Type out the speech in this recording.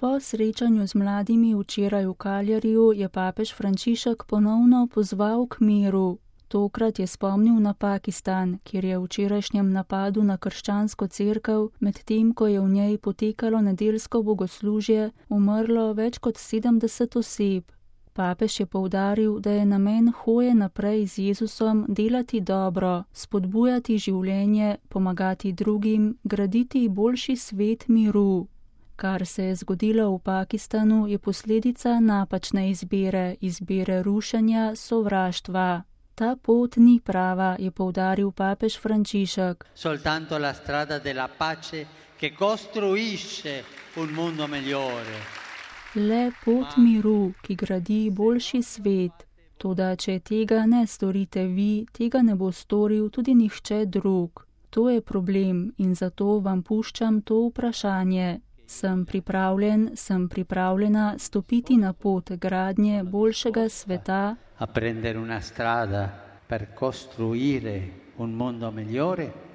Po srečanju z mladimi včeraj v Cagliariju je papež Frančišek ponovno pozval k miru. Tokrat je spomnil na Pakistan, kjer je v včerajšnjem napadu na krščansko cerkev, medtem ko je v njej potekalo nedeljsko bogoslužje, umrlo več kot 70 oseb. Papež je poudaril, da je namen hoje naprej z Jezusom delati dobro, spodbujati življenje, pomagati drugim, graditi boljši svet miru. Kar se je zgodilo v Pakistanu, je posledica napačne izbire rušenja, sovraštva. Ta pot ni prava, je poudaril papež Frančišek. Soltanto la strada della pace che costruisce un mondo migliore. Le pot miru, ki gradi boljši svet. Toda, če tega ne storite vi, tega ne bo storil tudi nihče drug. To je problem in zato vam puščam to vprašanje. Sem pripravljena stopiti na pot gradnje boljšega sveta, A prendere una strada per costruire un mondo migliore?